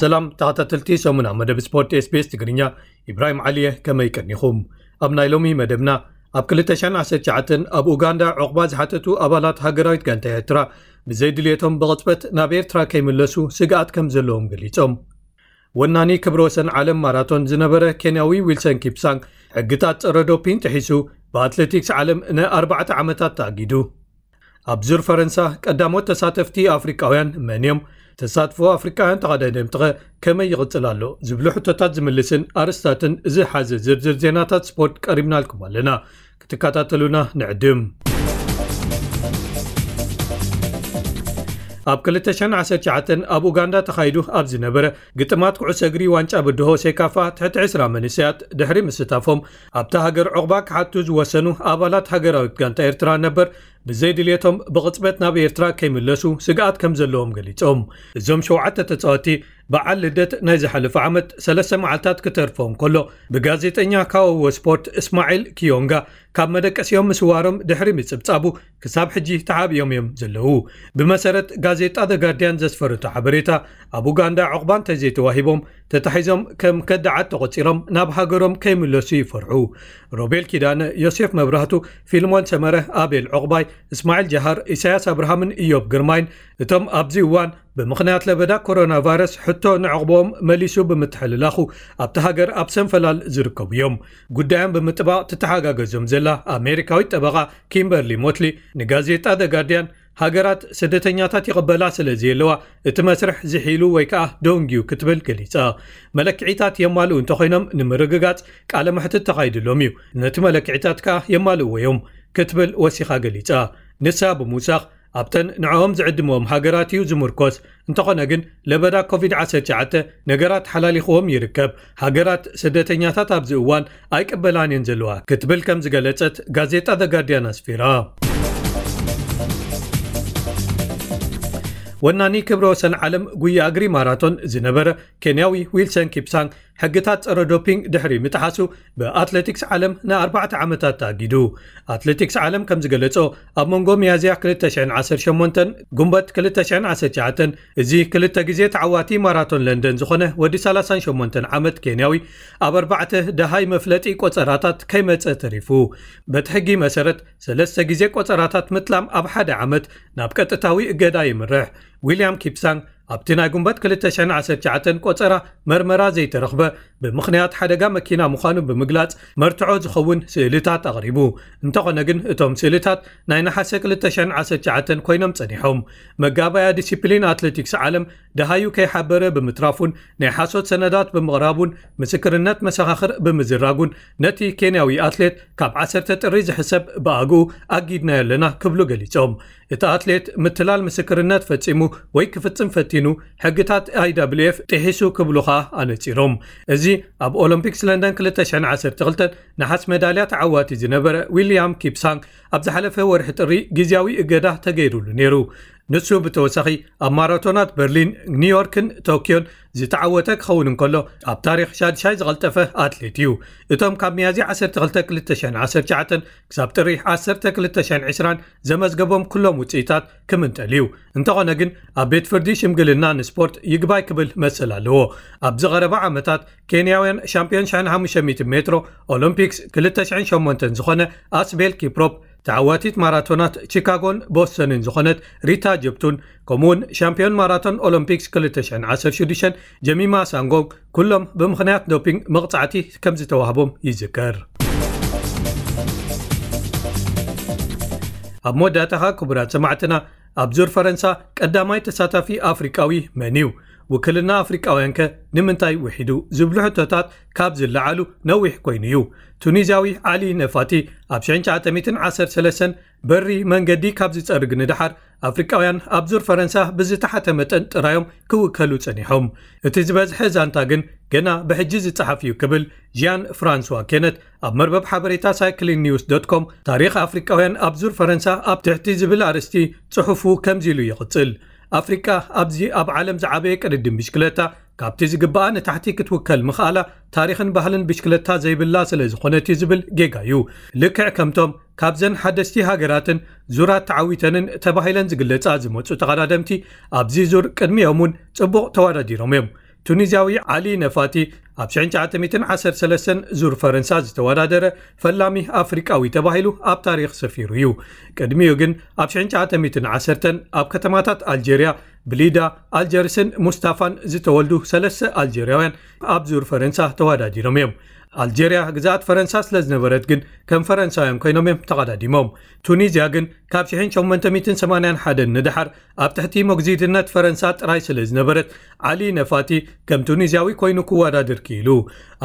ሰላም ተኸታተልቲ ሰሙና መደብ ስፖርት SBS ትግርኛ፣ ኢብራሂም ዓሊየ፣ ከመይ ቀኒኹም? ኣብ ናይ ሎሚ መደብና፣ ኣብ ክልተ ሽሕን ዓሰርተ ትሽዓተን ኣብ ኡጋንዳ ዑቕባ ዝሓተቱ ኣባላት ሃገራዊት ጋንታ ኤርትራ ብዘይድልየቶም ብቕጽበት ናብ ኤርትራ ከይምለሱ ስግኣት ከም ዘለዎም ገሊጾም። ወናኒ ክብረ ወሰን ዓለም ማራቶን ዝነበረ ኬንያዊ ዊልሰን ኪፕሳንግ፣ ሕግታት ጸረ ዶፒን ጥሒሱ ብኣትሌቲክስ ዓለም ንኣርባዕተ ዓመታት ተኣጊዱ። ኣብ ዙር ፈረንሳ ቀዳሞት ተሳተፍቲ ኣፍሪቃውያን መን እዮም? ተሳትፎ ኣፍሪቃውያን ተቐዳደምትኸ ከመይ ይቕጽል ኣሎ? ዝብሉ ሕቶታት ዝምልስን ኣርስታትን ዝሓዘ ዝርዝር ዜናታት ስፖርት ቀሪብናልኩም ኣለና። ክትከታተሉና ንዕድም። ኣብ ክልተ ሽሕን ዓሰርተ ትሽዓተን ኣብ ኡጋንዳ ተኻይዱ ኣብ ዝነበረ ግጥማት ኩዕሶ እግሪ ዋንጫ ብድሆ ሴካፋ ትሕቲ ዕስራ መንእሰያት ድሕሪ ምስታፎም፣ ኣብታ ሃገር ዑቕባ ክሓቱ ዝወሰኑ ኣባላት ሃገራዊት ጋንታ ኤርትራ ነበር ብዘይድልየቶም ብቕጽበት ናብ ኤርትራ ከይምለሱ ስግኣት ከም ዘለዎም ገሊጾም። እዞም ሸውዓተ ተጻወትቲ በዓል ልደት ናይ ዝሓለፈ ዓመት ሰለስተ መዓልታት ክተርፎም ከሎ፣ ብጋዜጠኛ ካወዎ ስፖርት እስማዒል ኪዮንጋ ካብ መደቀሲኦም ምስዋሮም ድሕሪ ምጽብጻቡ ክሳብ ሕጂ ተሓቢኦም እዮም ዘለዉ። ብመሰረት ጋዜጣ The Guardian ዘስፈረቶ ሓበሬታ፣ ኣብ ኡጋንዳ ዑቕባ እንተዘይተዋሂቦም ተታሒዞም ከም ከዳዓት ተቖጺሮም ናብ ሃገሮም ከይምለሱ ይፈርሑ። ሮቤል ኪዳነ፣ ዮሴፍ መብራህቱ፣ ፊልሞን ሰመረ፣ ኣቤል ዑቕባይ፣ እስማዒል ጀሃር፣ ኢሳያስ ኣብርሃምን ኢዮብ ግርማይን እቶም ኣብዚ እዋን ብምኽንያት ለበዳ ኮሮና ቫይረስ ሕቶ ንዕቕቦም መሊሱ ብምትሕልላኹ ኣብቲ ሃገር ኣብ ሰንፈላል ዝርከቡ እዮም። ጉዳዮም ብምጥባቕ ትተሓጋገዞም ዘላ ኣሜሪካዊት ጠበቓ ኪምበርሊ ሞትሊ ንጋዜጣ The Guardian፣ ሃገራት ስደተኛታት ይቕበላ ስለ ዘየለዋ እቲ መስርሕ ዝሒሉ ወይ ከኣ ደንጊዩ ክትብል ገሊጻ። መለክዒታት የማልኡ እንተኾይኖም ንምርግጋጽ ቃለ መሕትት ተኻይድሎም እዩ። ነቲ መለክዒታት ከኣ የማልእዎ እዮም ክትብል ወሲኻ ገሊጻ። ንሳ ብምውሳኽ ኣብተን ንዕኦም ዝዕድምኦም ሃገራት እዩ ዝምርኮስ። እንተኾነ ግን ለበዳ ኮቪድ ዓሰርተ ትሽዓተ ነገራት ሓላሊኽዎም ይርከብ። ሃገራት ስደተኛታት ኣብዚ እዋን ኣይቅበላን እየን ዘለዋ ክትብል ከም ዝገለጸት ጋዜጣ The Guardian ኣስፊራ። ወናኒ ክብረ ወሰን ዓለም ጉያ እግሪ ማራቶን ዝነበረ ኬንያዊ ዊልሰን ኪፕሳንግ ሕግታት ጸረ ዶፒንግ ድሕሪ ምጥሓሱ ብኣትሌቲክስ ዓለም ንኣርባዕተ ዓመታት ተኣጊዱ። ኣትሌቲክስ ዓለም ከም ዝገለጾ፣ ኣብ መንጎ ሚያዝያ ክልተ ሽሕን ዓሰርተ ሸሞንተን ጉንበት ክልተ ሽሕን ዓሰርተ ትሽዓተን እዚ ክልተ ግዜ ተዓዋቲ ማራቶን ለንደን ዝኾነ ወዲ ሰላሳን ሸሞንተን ዓመት ኬንያዊ ኣብ ኣርባዕተ ደሃይ መፍለጢ ቆጸራታት ከይመጸ ተሪፉ። በቲ ሕጊ መሰረት ሰለስተ ግዜ ቆጸራታት ምጥላም ኣብ ሓደ ዓመት ናብ ቀጥታዊ እገዳ ይምርሕ። ዊልያም ኪፕሳንግ ኣብቲ ናይ ጉንበት ክልተ ሽሕን ዓሰርተ ትሽዓተን ቆጸራ መርመራ ዘይተረኽበ ብምኽንያት ሓደጋ መኪና ምዃኑ ብምግላጽ መርትዖ ዝኸውን ስእልታት ኣቕሪቡ። እንተኾነ ግን እቶም ስእልታት ናይ ነሓሰ ክልተ ሽሕን ዓሰርተ ትሽዓተን ኮይኖም ጸኒሖም። መጋባያ ዲሲፕሊን ኣትሌቲክስ ዓለም ደሃዩ ከይሓበረ ብምትራፉን ናይ ሓሶት ሰነዳት ብምቕራቡን ምስክርነት መሰኻኽር ብምዝራጉን ነቲ ኬንያዊ ኣትሌት ካብ ዓሰርተ ጥሪ ዝሕሰብ ብኣግኡ ኣጊድናዮ ኣለና ክብሉ ገሊጾም። እቲ ኣትሌት ምትላል ምስክርነት ፈጺሙ ወይ ክፍጽም ፈቲኑ ሕግታት ኣይ ደብሊው ኤፍ ጥሒሱ ክብሉ ኸኣ ኣነጺሮም። እዚ ኣብ ኦሎምፒክስ ለንደን ክልተ ሽሕን ዓሰርተ ክልተን ነሓስ መዳልያ ተዓዋቲ ዝነበረ ዊልያም ኪፕሳንግ ኣብ ዝሓለፈ ወርሒ ጥሪ ግዝያዊ እገዳ ተገይሩሉ ነይሩ። ንሱ ብተወሳኺ ኣብ ማራቶናት በርሊን፣ ኒውዮርክን ቶክዮን ዝተዓወተ ክኸውን እንከሎ፣ ኣብ ታሪኽ ሻድሻይ ዝቐልጠፈ ኣትሌት እዩ። እቶም ካብ ሚያዝያ ዓሰርተ ክልተ ክልተ ሽሕን ዓሰርተ ትሽዓተን ክሳብ ጥሪ ዓሰርተ ክልተ ሽሕን ዕስራን ዘመዝገቦም ኩሎም ውጽኢታት ክምንጠል እዩ። እንተኾነ ግን ኣብ ቤት ፍርዲ ሽምግልና ንስፖርት ይግባይ ክብል መሰል ኣለዎ። ኣብዚ ቀረባ ዓመታት ኬንያውያን ሻምፒዮን ሽሕን ሓሙሽተ ሚእትን ሜትሮ ኦሎምፒክስ ክልተ ሽሕን ሸሞንተን ዝኾነ ኣስቤል ኪፕሮፕ፣ ተዓዋቲት ማራቶናት ቺካጎን ቦስተንን ዝኾነት ሪታ ጀፕቱን፣ ከምኡውን ሻምፒዮን ማራቶን ኦሎምፒክስ ክልተ ሽሕን ዓሰርተ ሽዱሽተን ጀሚማ ሳንጎንግ ኩሎም ብምኽንያት ዶፒንግ መቕጻዕቲ ከም ዝተዋህቦም ይዝከር። ኣብ መወዳእታኻ ክቡራት ሰማዕትና፣ ኣብ ዙር ፈረንሳ ቀዳማይ ተሳታፊ ኣፍሪቃዊ መን እዩ? ውክልና ኣፍሪቃውያንከ ንምንታይ ውሒዱ? ዝብሉ ሕቶታት ካብ ዝለዓሉ ነዊሕ ኮይኑ እዩ። ቱኒዝያዊ ዓሊ ነፋቲ ኣብ ሽሕን ትሽዓተ ሚእትን ዓሰርተ ሰለስተን በሪ መንገዲ ካብ ዝጸርግ ንደሓር፣ ኣፍሪቃውያን ኣብ ዙር ፈረንሳ ብዝተሓተ መጠን ጥራዮም ክውከሉ ጸኒሖም። እቲ ዝበዝሐ ዛንታ ግን ገና ብሕጂ ዝጸሓፍ እዩ ክብል ጂያን ፍራንስዋ ኬነት ኣብ መርበብ ሓበሬታ ሳይክሊን ኒውስ ዶት ኮም ታሪኽ ኣፍሪቃውያን ኣብ ዙር ፈረንሳ ኣብ ትሕቲ ዝብል ኣርእስቲ ጽሑፉ ከምዚ ኢሉ ይቕጽል። ኣፍሪቃ ኣብዚ ኣብ ዓለም ዝዓበየ ቅድድም ብሽክለታ ካብቲ ዝግባኣ ንታሕቲ ክትውከል ምኽኣላ ታሪኽን ባህልን ብሽክለታ ዘይብላ ስለ ዝኾነት እዩ ዝብል ጌጋ እዩ። ልክዕ ከምቶም ካብዘን ሓደስቲ ሃገራትን ዙራት ተዓዊተንን ተባሂለን ዝግለጻ ዝመጹ ተቐዳደምቲ ኣብዚ ዙር ቅድሚኦም እውን ጽቡቕ ተወዳዲሮም እዮም። ቱኒዝያዊ ዓሊ ነፋቲ ኣብ ሽሕን ትሽዓተ ሚእትን ዓሰርተ ሰለስተን ዙር ፈረንሳ ዝተወዳደረ ፈላሚ ኣፍሪቃዊ ተባሂሉ ኣብ ታሪኽ ሰፊሩ እዩ። ቅድሚኡ ግን ኣብ ሽሕን ትሽዓተ ሚእትን ዓሰርተን ኣብ ከተማታት ኣልጀርያ ብሊዳ፣ ኣልጀርስን ሙስታፋን ዝተወልዱ ሰለስተ ኣልጀርያውያን ኣብ ዙር ፈረንሳ ተወዳዲሮም እዮም። ኣልጀርያ ግዝኣት ፈረንሳ ስለ ዝነበረት ግን ከም ፈረንሳውያን ኮይኖም እዮም ተቐዳዲሞም። ቱኒዝያ ግን ካብ ሽሕን ሸሞንተ ሚእትን ሰማንያን ሓደን ንደሓር ኣብ ትሕቲ መግዚድነት ፈረንሳ ጥራይ ስለ ዝነበረት ዓሊ ነፋቲ ከም ቱኒዝያዊ ኮይኑ ክወዳደር ክኢሉ።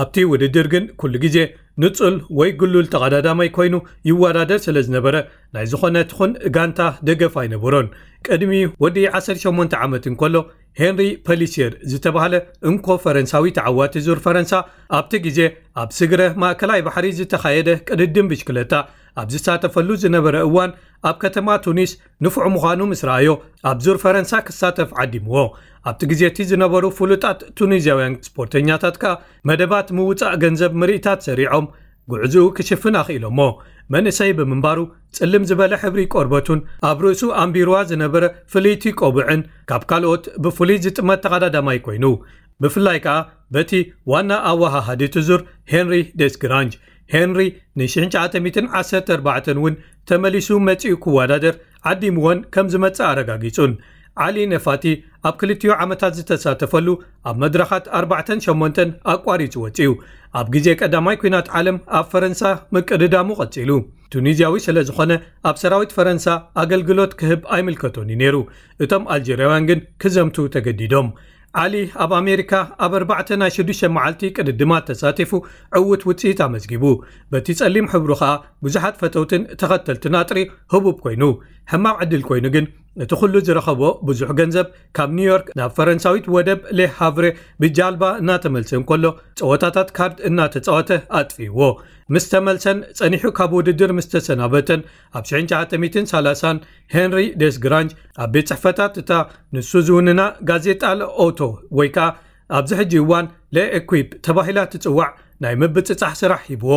ኣብቲ ውድድር ግን ኩሉ ግዜ ንጹል ወይ ግሉል ተቐዳዳማይ ኮይኑ ይወዳደር ስለ ዝነበረ ናይ ዝኾነ ትኹን ጋንታ ደገፍ ኣይነበሮን። ቅድሚ ወዲ ዓሰርተ ሸሞንተ ዓመት እንከሎ ሄንሪ ፐሊሲየር ዝተባህለ እንኮ ፈረንሳዊ ተዓዋቲ ዙር ፈረንሳ ኣብቲ ግዜ ኣብ ስግረ ማእከላይ ባሕሪ ዝተኻየደ ቅድድም ብሽክለታ ኣብ ዝሳተፈሉ ዝነበረ እዋን ኣብ ከተማ ቱኒስ ንፉዕ ምዃኑ ምስ ረኣዮ ኣብ ዙር ፈረንሳ ክሳተፍ ዓዲምዎ። ኣብቲ ግዜ እቲ ዝነበሩ ፍሉጣት ቱኒዝያውያን ስፖርተኛታት ከኣ መደባት ምውጻእ ገንዘብ ምርኢታት ሰሪዖም ጉዕዝኡ ክሽፍን ኣኽኢሎሞ። መንእሰይ ብምንባሩ ጽልም ዝበለ ሕብሪ ቆርበቱን ኣብ ርእሱ ኣንቢርዋ ዝነበረ ፍልይቲ ቆብዕን ካብ ካልኦት ብፍሉይ ዝጥመት ተቐዳዳማይ ኮይኑ፣ ብፍላይ ከኣ በቲ ዋና ኣወሃሃዲ እቲ ዙር ሄንሪ ደስግራንጅ። ሄንሪ ን ሽሕን ትሽዓተ ሚእትን ዓሰርተ ኣርባዕተን እውን ተመሊሱ መጺኡ ክወዳደር ዓዲምዎን ከም ዝመጽእ ኣረጋጊጹን። ዓሊ ነፋቲ ኣብ ክልቲኡ ዓመታት ዝተሳተፈሉ ኣብ መድረኻት ኣርባዕተን ሸሞንተን ኣቋሪጹ ወጺኡ። ኣብ ግዜ ቀዳማይ ኲናት ዓለም ኣብ ፈረንሳ ምቅድዳሙ ቀጺሉ። ቱኒዝያዊ ስለ ዝኾነ ኣብ ሰራዊት ፈረንሳ ኣገልግሎት ክህብ ኣይምልከቶን እዩ ነይሩ። እቶም ኣልጀርያውያን ግን ክዘምቱ ተገዲዶም። ዓሊ ኣብ ኣሜሪካ ኣብ ኣርባዕተ ናይ ሽዱሽተ መዓልቲ ቅድድማት ተሳቲፉ ዕዉት ውጽኢት ኣመዝጊቡ። በቲ ጸሊም ሕብሩ ኸኣ ብዙሓት ፈተውትን ተኸተልትን ኣጥሪ ህቡብ ኮይኑ። ሕማቕ ዕድል ኮይኑ ግን እቲ ኩሉ ዝረኸቦ ብዙሕ ገንዘብ ካብ ኒውዮርክ ናብ ፈረንሳዊት ወደብ ሌ ሃቭሬ ብጃልባ እናተመልሰ እንከሎ ጸወታታት ካርድ እናተጻወተ ኣጥፊእዎ። ምስ ተመልሰን ጸኒሑ ካብ ውድድር ምስ ተሰናበተን ኣብ ሽሕን ትሽዓተ ሚእትን ሰላሳን ሄንሪ ደስግራንጅ ኣብ ቤት ጽሕፈታት እታ ንሱ ዝውንና ጋዜጣ ለኦቶ ወይ ከኣ ኣብዚ ሕጂ እዋን ለኤኩፕ ተባሂላ ትጽዋዕ ናይ ምብጽጻሕ ስራሕ ሂብዎ።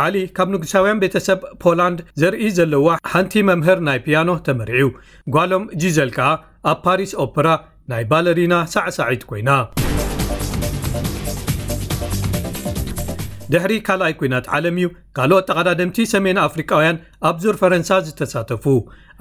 ዓሊ ካብ ንጉሳውያን ቤተሰብ ፖላንድ ዘርኢ ዘለዋ ሓንቲ መምህር ናይ ፒያኖ ተመርዕዩ። ጓሎም ጂዘል ከኣ ኣብ ፓሪስ ኦፕራ ናይ ባለሪና ሳዕሳዒት ኮይና። ድሕሪ ካልኣይ ኲናት ዓለም እዩ ካልኦት ተቐዳደምቲ ሰሜን ኣፍሪቃውያን ኣብ ዙር ፈረንሳ ዝተሳተፉ።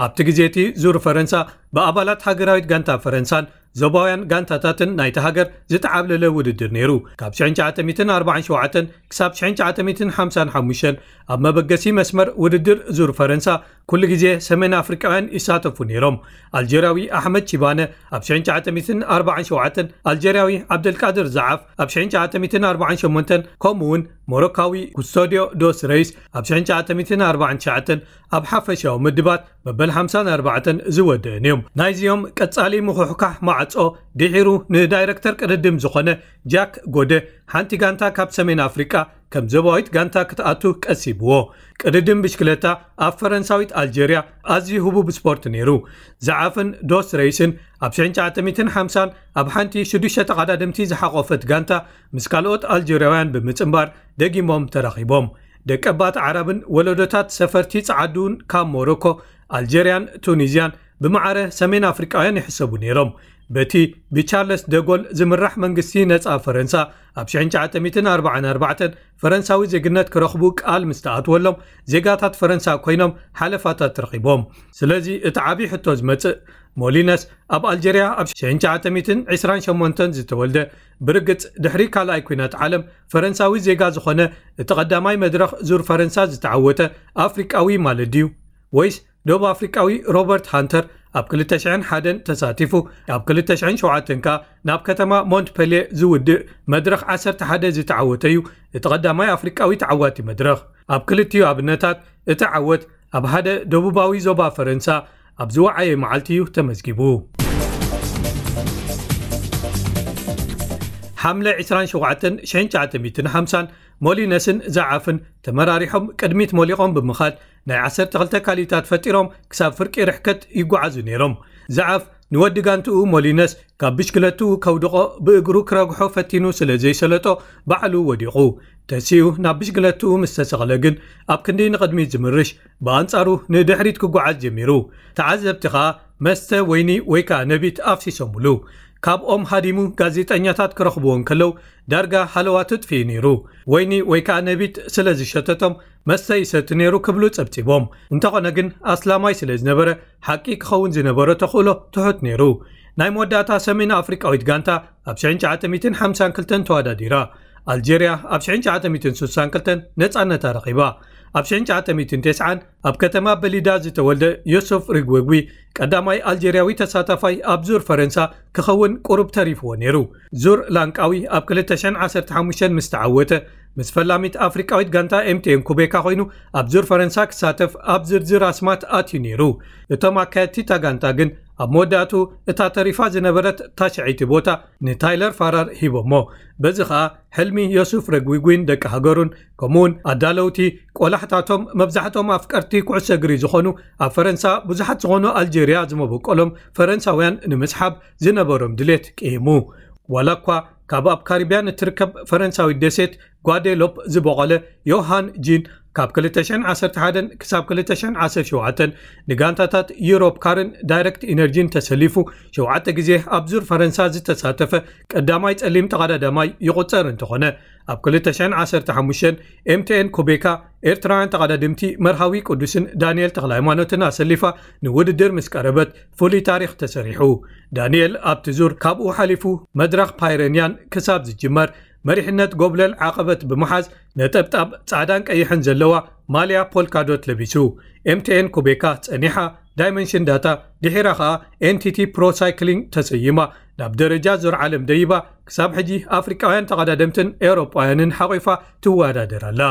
ኣብቲ ግዜ እቲ ዙር ፈረንሳ ብኣባላት ሃገራዊት ጋንታ ፈረንሳን ዞባውያን ጋንታታትን ናይቲ ሃገር ዝተዓብለለ ውድድር ነይሩ። ካብ ሽሕን ትሽዓተ ሚእትን ኣርባዓን ሸውዓተን ክሳብ ሽሕን ትሽዓተ ሚእትን ሓምሳን ሓሙሽተን ኣብ መበገሲ መስመር ውድድር ዙር ፈረንሳ ኩሉ ግዜ ሰሜን ኣፍሪቃውያን ይሳተፉ ነይሮም። ኣልጀርያዊ ኣሕመድ ቺባነ ኣብ ሽሕን ትሽዓተ ሚእትን ኣርባዓን ሸውዓተን፣ ኣልጀርያዊ ዓብደልቃድር ዛዓፍ ኣብ ሽሕን ትሽዓተ ሚእትን ኣርባዓን ሸሞንተን፣ ከምኡ እውን ሞሮካዊ ኩስቶድዮ ዶስ ረይስ ኣብ ሽሕን ትሽዓተ ሚእትን ኣርባዓን ትሽዓተን ኣብ ሓፈሻዊ ምድባት መበል ሓምሳን ኣርባዕተን ዝወደእን እዮም። ናይዚኦም ቀጻሊ ምኹሕካሕ ማዕጾ ድሒሩ ንዳይረክተር ቅድድም ዝኾነ ጃክ ጎደ ሓንቲ ጋንታ ካብ ሰሜን ኣፍሪቃ ከም ዞባዊት ጋንታ ክትኣቱ ቀሲብዎ። ቅድድም ብሽክለታ ኣብ ፈረንሳዊት ኣልጀርያ ኣዝዩ ህቡብ ስፖርት ነይሩ። ዛዓፍን ዶስ ረይስን ኣብ ሽሕን ትሽዓተ ሚእትን ሓምሳን ኣብ ሓንቲ ሽዱሽተ ተቐዳደምቲ ዝሓቖፈት ጋንታ ምስ ካልኦት ኣልጀርያውያን ብምጽንባር ደጊሞም ተራኺቦም። ደቀባት ዓረብን ወለዶታት ሰፈርቲ ጸዓዱን ካብ ሞሮኮ፣ ኣልጀርያን ቱኒዝያን ብማዕረ ሰሜን ኣፍሪቃውያን ይሕሰቡ ነይሮም። በቲ ብቻርለስ ደጎል ዝምራሕ መንግስቲ ነጻ ፈረንሳ ኣብ ሽሕን ትሽዓተ ሚእትን ኣርባዓን ኣርባዕተን ፈረንሳዊ ዜግነት ክረኽቡ ቃል ምስ ተኣትወሎም ዜጋታት ፈረንሳ ኮይኖም ሓለፋታት ረኺቦም። ስለዚ እቲ ዓቢ ሕቶ ዝመጽእ ሞሊነስ ኣብ ኣልጀርያ ኣብ ሽሕን ትሽዓተ ሚእትን ዕስራን ሸሞንተን ዝተወልደ ብርግጽ ድሕሪ ካልኣይ ኲናት ዓለም ፈረንሳዊ ዜጋ ዝኾነ እቲ ቀዳማይ መድረኽ ዙር ፈረንሳ ዝተዓወተ ኣፍሪቃዊ ማለት ድዩ? ወይስ ደቡብ ኣፍሪቃዊ ሮበርት ሃንተር ኣብ ክልተ ሽሕን ሓደን ተሳቲፉ ኣብ ክልተ ሽሕን ሸውዓተን ከኣ ናብ ከተማ ሞንትፐልየ ዝውድእ መድረኽ ዓሰርተ ሓደ ዝተዓወተ እዩ እቲ ቀዳማይ ኣፍሪቃዊ ተዓዋቲ መድረኽ። ኣብ ክልቲኡ ኣብነታት እቲ ዓወት ኣብ ሓደ ደቡባዊ ዞባ ፈረንሳ ኣብ ዝወዓየ መዓልቲ እዩ ተመዝጊቡ። ሓምለ ዕስራን ሸውዓተን ሽሕን ትሽዓተ ሚእትን ሓምሳን ሞሊነስን ዛዓፍን ተመራሪሖም ቅድሚት ሞሊቖም ብምኻድ ናይ ዓሰርተ ክልተ ካሊታት ፈጢሮም ክሳብ ፍርቂ ርሕቀት ይጓዓዙ ነይሮም። ዛዓፍ ንወዲ ጋንትኡ ሞሊነስ ካብ ብሽክለትኡ ከውድቖ ብእግሩ ክረግሖ ፈቲኑ ስለ ዘይሰለጦ ባዕሉ ወዲቑ። ተሲኡ ናብ ብሽክለትኡ ምስ ተሰቕለ ግን ኣብ ክንዲ ንቕድሚት ዝምርሽ ብኣንጻሩ ንድሕሪት ክጓዓዝ ጀሚሩ። ተዓዘብቲ ኸኣ መስተ ወይኒ ወይ ከኣ ነቢት ኣፍሲሶምሉ። ካብኦም ሃዲሙ ጋዜጠኛታት ክረኽብዎ እንከለዉ ዳርጋ ሃለዋ ትጥፍኢ ነይሩ። ወይኒ ወይ ከዓ ነቢት ስለ ዝሸተቶም መስተ ይሰቲ ነይሩ ክብሉ ጸብጺቦም። እንተኾነ ግን ኣስላማይ ስለ ዝነበረ ሓቂ ክኸውን ዝነበሮ ተኽእሎ ትሑት ነይሩ። ናይ መወዳእታ ሰሜን ኣፍሪቃዊት ጋንታ ኣብ ሽሕን ትሽዓተ ሚእትን ሓምሳን ክልተን ተወዳዲራ። ኣልጀርያ ኣብ ሽሕን ትሽዓተ ሚእትን ስሳን ክልተን ነጻነታ ረኺባ። ኣብ ሽሕን ትሽዓተ ሚእትን ተስዓን ኣብ ከተማ በሊዳ ዝተወልደ ዮሱፍ ሪግዌግዊ ቀዳማይ ኣልጀርያዊ ተሳታፋይ ኣብ ዙር ፈረንሳ ክኸውን ቁሩብ ተሪፍዎ ነይሩ። ዙር ላንቃዊ ኣብ ክልተ ሽሕን ዓሰርተ ሓሙሽተን ምስ ተዓወተ፣ ምስ ፈላሚት ኣፍሪቃዊት ጋንታ ኤምቲኤን ኩቤካ ኮይኑ ኣብ ዙር ፈረንሳ ክሳተፍ ኣብ ዝርዝር ኣስማት ኣትዩ ነይሩ። እቶም ኣካየድቲ እታ ጋንታ ግን ኣብ መወዳእቱ እታ ተሪፋ ዝነበረት ታሽዐይቲ ቦታ ንታይለር ፋራር ሂቦሞ። በዚ ኸኣ ሕልሚ ዮሱፍ ረግዊጉን ደቂ ሃገሩን ከምኡውን ኣዳለውቲ ቆላሕታቶም መብዛሕትኦም ኣፍቀርቲ ኩዕሶ እግሪ ዝኾኑ ኣብ ፈረንሳ ብዙሓት ዝኾኑ ኣልጀርያ ዝመበቆሎም ፈረንሳውያን ንምስሓብ ዝነበሮም ድሌት ቅይሙ። ዋላ እኳ ካብ ኣብ ካሪብያን እትርከብ ፈረንሳዊት ደሴት ጓዴሎፕ ዝበቖለ ዮሃን ጂን ካብ ክልተ ሽሕን ዓሰርተ ሓደን ክሳብ ክልተ ሽሕን ዓሰርተ ሸውዓተን ንጋንታታት ዩሮፕ ካርን ዳይረክት ኢነርጂን ተሰሊፉ ሸውዓተ ግዜ ኣብ ዙር ፈረንሳ ዝተሳተፈ ቀዳማይ ጸሊም ተቐዳዳማይ ይቑጸር እንተኾነ፣ ኣብ ክልተ ሽሕን ዓሰርተ ሓሙሽተን ኤምቲኤን ኩቤካ ኤርትራውያን ተቐዳድምቲ መርሃዊ ቅዱስን ዳንኤል ተኽለሃይማኖትን ኣሰሊፋ ንውድድር ምስ ቀረበት ፍሉይ ታሪኽ ተሰሪሑ። ዳንኤል ኣብቲ ዙር ካብኡ ሓሊፉ መድረኽ ፓይረንያን ክሳብ ዝጅመር መሪሕነት ጎብለል ዓቐበት ብምሓዝ ነጠብጣብ ጻዕዳን ቀይሕን ዘለዋ ማልያ ፖልካዶት ለቢሱ። ኤምቲኤን ኩቤካ ጸኒሓ ዳይመንሽን ዳታ ድሒራ ኸኣ ኤንቲቲ ፕሮ ሳይክሊንግ ተሰይማ ናብ ደረጃ ዙር ዓለም ደይባ ክሳብ ሕጂ ኣፍሪቃውያን ተቐዳደምትን ኤውሮጳውያንን ሓቒፋ ትወዳደር ኣላ።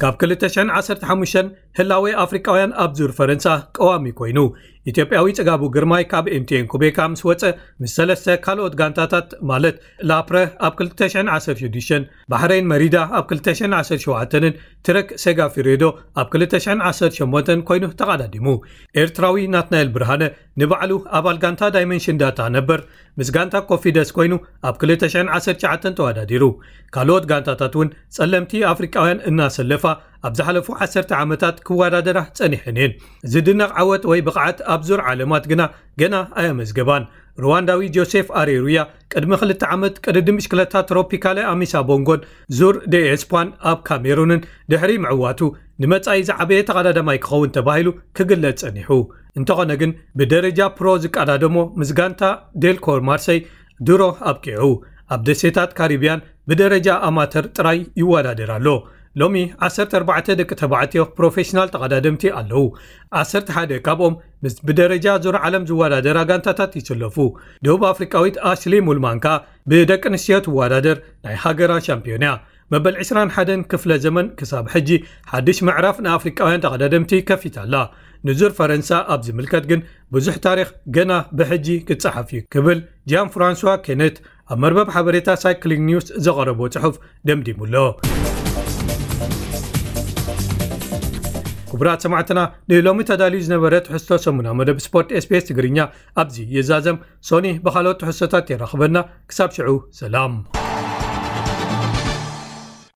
ካብ ክልተ ሽሕን ዓሰርተ ሓሙሽተን ህላዌ ኣፍሪቃውያን ኣብ ዙር ፈረንሳ ቀዋሚ ኮይኑ፣ ኢትዮጵያዊ ጽጋቡ ግርማይ ካብ ኤምቲኤን ኩቤካ ምስ ወጸ፣ ምስ ሰለስተ ካልኦት ጋንታታት ማለት ላፕረ ኣብ ክልተ ሽሕን ዓሰርተ ሽዱሽተን፣ ባሕሬን መሪዳ ኣብ ክልተ ሽሕን ዓሰርተ ሸውዓተን፣ ትረክ ሴጋፊሬዶ ኣብ ክልተ ሽሕን ዓሰርተ ሸሞንተን ኮይኑ ተቐዳዲሙ። ኤርትራዊ ናትናኤል ብርሃነ ንባዕሉ ኣባል ጋንታ ዳይመንሽን ዳታ ነበር ምስ ጋንታ ኮፊደስ ኮይኑ ኣብ ክልተ ሽሕን ዓሰርተ ትሽዓተን ተወዳዲሩ። ካልኦት ጋንታታት እውን ጸለምቲ ኣፍሪቃውያን እናሰለፋ ኣብ ዝሓለፉ ዓሰርተ ዓመታት ክወዳደራ ጸኒሐን እየን። ዝድነቕ ዓወት ወይ ብቕዓት ኣብ ዙር ዓለማት ግና ገና ኣየመዝገባን። ሩዋንዳዊ ጆሴፍ ኣሬሩያ ቅድሚ ክልተ ዓመት ቅድድም ብሽክለታ ትሮፒካለ ኣሚሳ ቦንጎን ዙር ደ ኤስፓን ኣብ ካሜሩንን ድሕሪ ምዕዋቱ ንመጻኢ ዝዓበየ ተቐዳዳማይ ክኸውን ተባሂሉ ክግለጽ ጸኒሑ። እንተኾነ ግን ብደረጃ ፕሮ ዝቀዳደሞ ምስ ጋንታ ዴልኮር ማርሰይ ድሮ ኣብቂዑ። ኣብ ደሴታት ካሪብያን ብደረጃ ኣማተር ጥራይ ይወዳደር ኣሎ። ሎሚ ዓሰርተ ኣርባዕተ ደቂ ተባዕትዮ ፕሮፌሽናል ተቐዳደምቲ ኣለዉ። ዓሰርተ ሓደ ካብኦም ምስ ብደረጃ ዙር ዓለም ዝወዳደራ ጋንታታት ይስለፉ። ደቡብ ኣፍሪቃዊት ኣሽሊ ሙልማን ከኣ ብደቂ ኣንስትዮ ትወዳደር ናይ ሃገራ ሻምፒዮን እያ። መበል ዕስራን ሓደን ክፍለ ዘመን ክሳብ ሕጂ ሓድሽ ምዕራፍ ንኣፍሪቃውያን ተቐዳደምቲ ከፊታ ኣላ። ንዙር ፈረንሳ ኣብ ዝምልከት ግን ብዙሕ ታሪኽ ገና ብሕጂ ክጸሓፍ እዩ ክብል ጃን ፍራንሷ ኬነት ኣብ መርበብ ሓበሬታ ሳይክሊንግ ኒውስ ዘቐረቦ ጽሑፍ ደምዲሙ ኣሎ። ክቡራት ሰማዕትና፣ ንሎሚ ተዳልዩ ዝነበረ ትሕዝቶ ሰሙና መደብ ስፖርት ኤስቢኤስ ትግርኛ ኣብዚ ይዛዘም። ሶኒ ብኻልኦት ትሕዝቶታት የራኽበና። ክሳብ ሽዑ ሰላም።